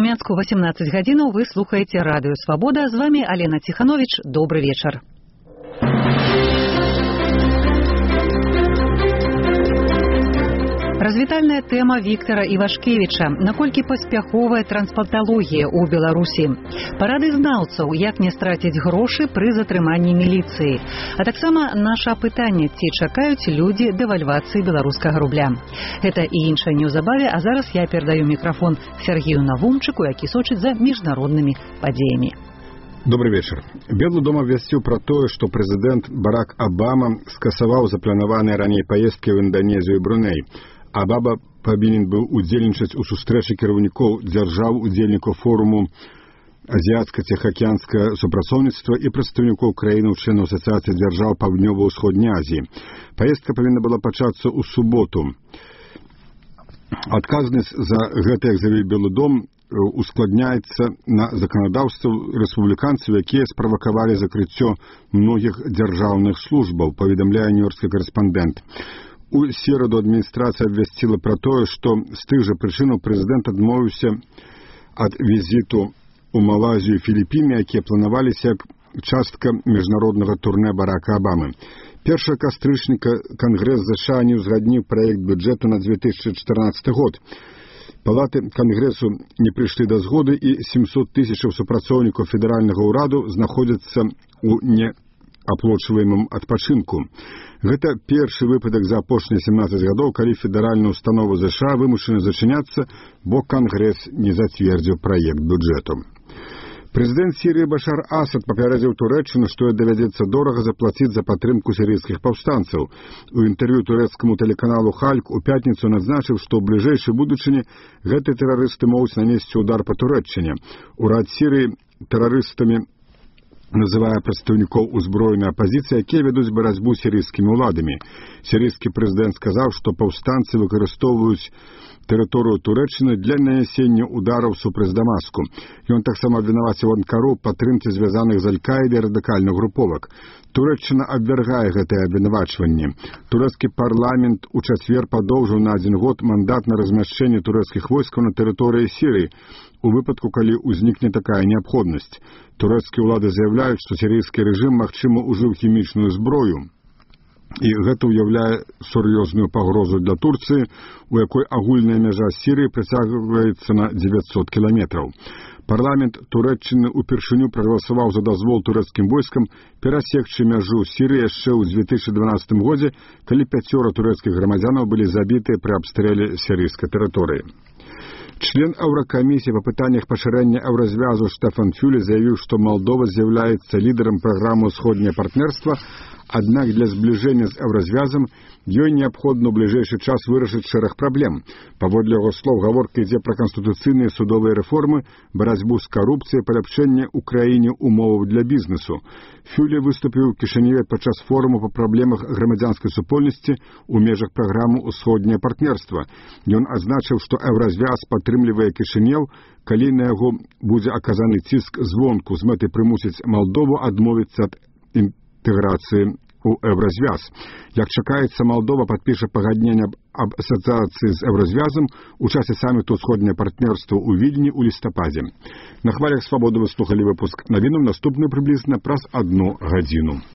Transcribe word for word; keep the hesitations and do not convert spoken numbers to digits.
Мінску восемнадцать гадзінаў, вы слухаеце радыё Свабода. З вами Алена Ціханович. Добры вечар. Развітальная тэма Віктара Івашкевіча. Наколькі паспяховая транспланталогія ў Беларусі? Парады знаўцаў, як не страціць грошы пры затрыманні міліцыі. А таксама наша апытанне, ці чакаюць людзі дэвальвацыі беларускага рубля. Гэта і іншае неўзабаве, а зараз я перадаю мікрафон Сергею Навумчыку, які сочыць за міжнароднымі падзеямі. Добрый вечер. Белы дом абвясціў пра тое, што прэзідэнт Барак Абама скасаваў запланаваныя раней паездкі ў Інданезію і Бруней. Абама павінен быў удзельнічаць у сустрэчы кіраўнікоў дзяржаў удзельнікаў форуму азіяцка-ціхаакіянскае супрацоўніцтва і прадстаўнікоў краінаў членаў асацыяцыі дзяржаў Паўднёва-ўсходняй Азіі. Паездка павінна была пачацца ў суботу. Адказнасць за гэта, як заявіў Белы дом, ускладняецца на заканадаўству рэспубліканцаў, якія справакавалі закрыццё многіх дзяржаўных службаў, паведамляе нью-йоркскі карэспандэнт. У сераду адміністрацыя абвясціла пра тое, што з тых жа прычынаў прэзідэнт адмовіўся ад візіту ў Малайзію і Філіппіны, якія планаваліся як частка міжнароднага турне Барака Абамы. першага кастрычніка Кангрэс ЗША не ўзгадніў праект бюджэту на две тысячы чатырнаццаты год. Палаты Кангрэсу не прыйшлі да згоды, і сямсот тысячаў супрацоўнікаў федэральнага ўраду знаходзяцца ў неаплочваемым адпачынку. Гэта першы выпадак за апошнія семнаццаць гадоў, калі федэральная установа ЗША вымушаны зачыняцца, бо Кангрэс не зацвердзіў праект бюджэту. Прэзідэнт Сірыі Башар Асад папярэдзіў Турэччыну, што давядзецца дорага заплаціць за падтрымку сірыйскіх паўстанцаў. У інтэрв'ю турэцкаму тэлеканалу Хальк у пятніцу надзначыў, што ў бліжэйшай будучыні гэтыя тэрарысты могуць нанесці ўдар па Турэччыне. Урад Сірыі тэрарыстамі называе прадстаўнікоў узброенай апазіцыі, якія вядуць барацьбу з сірыйскімі ўладамі. Сірыйскі прэзідэнт сказаў, што паўстанцы выкарыстоўваюць тэрыторыю Турэччыны для нанясення удараў супраць Дамаску. Ён таксама абвінаваціў Анкару ў падтрымцы звязаных з Аль-Каідай радыкальных груповак. Турэччына абвяргае гэтае абвінавачванне. Турэцкі парламент у чацвер падоўжыў на адзін год мандат на размяшчэнне турэцкіх войскаў на тэрыторыі Сірыі, у выпадку, калі ўзнікне такая неабходнасць. Турэцкія ўлады заяўляюць, што сірыйскі рэжым, магчыма, ужыў хімічную зброю. І гэта ўяўляе сур'ёзную пагрозу для Турцыі, у якой агульная мяжа Сірыі працягваецца на дзевяцьсот кіламетраў. Парламент Турэччыны упершыню прагаласаваў за дазвол турэцкім войскам перасекчы мяжу Сірыі яшчэ ў две тысячы дванаццатым годзе, калі пяцёра турэцкіх грамадзянаў былі забітыя пры абстрэле сірыйскай тэрыторыі. Член Еўракамісіі па пытаннях пашырэння еўразвязу Штефан Фюле заявіў, што Малдова з'яўляецца лідарам праграмы «Усходняе партнерства», аднак для збліжэння з еўразвязам ёй неабходна ў бліжэйшы час вырашыць шэраг праблем. Паводле яго слоў, гаворка ідзе пра канстытуцыйныя судовыя рэформы, барацьбу з карупцыяй, паляпшэнне ў краіне умоваў для бізнесу. Фюле выступіў у Кішыневе падчас форуму па праблемах грамадзянскай супольнасці ў межах праграмы «Усходняе партнерства». Ён адзначыў, што еўразвяз падтрымлівае Кішынеў, калі на яго будзе аказаны ціск звонку з мэтай прымусіць Малдову адмовіцца ад інтэграцыі у еўразвяз. Як чакаецца, Малдова падпіша пагадненне аб асацыяцыі з еўразвязам у часе саміту «Усходняе партнерства» у Вільні ў лістападзе. На хвалях Свабоды вы слухалі выпуск навінаў, наступны прыблізна праз адну гадзіну.